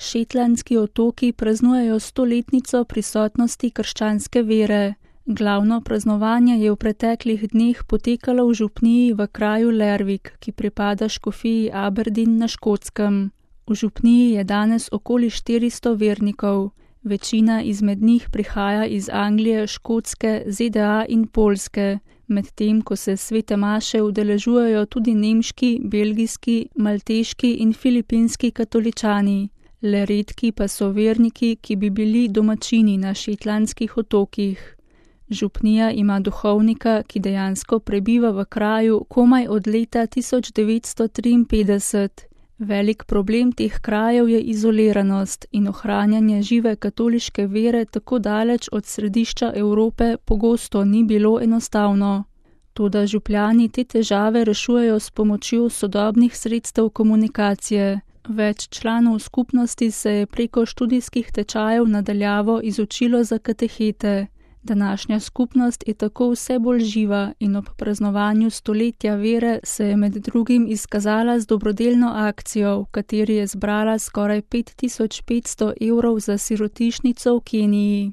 Shetlandski otoki praznujejo 100-letnico prisotnosti krščanske vere. Glavno praznovanje je v preteklih dneh potekalo v župniji v kraju Lerwick, ki pripada škofiji Aberdeen na Škotskem. V župniji je danes okoli 400 vernikov. Večina izmed njih prihaja iz Anglije, Škotske, ZDA in Poljske, medtem ko se svete maše udeležujejo tudi nemški, belgijski, malteški in filipinski katoličani. Le redki pa so verniki, ki bi bili domačini na Shetlandskih otokih. Župnija ima duhovnika, ki dejansko prebiva v kraju komaj od leta 1953. Velik problem teh krajev je izoliranost in ohranjanje žive katoliške vere tako daleč od središča Evrope pogosto ni bilo enostavno. Toda župljani te težave rešujejo s pomočjo sodobnih sredstev komunikacije. Več članov skupnosti se je preko študijskih tečajev na daljavo izučilo za katehete. Današnja skupnost je tako vse bolj živa in ob praznovanju stoletja vere se je med drugim izkazala z dobrodelno akcijo, v kateri je zbrala skoraj 5500 € za sirotišnico v Keniji.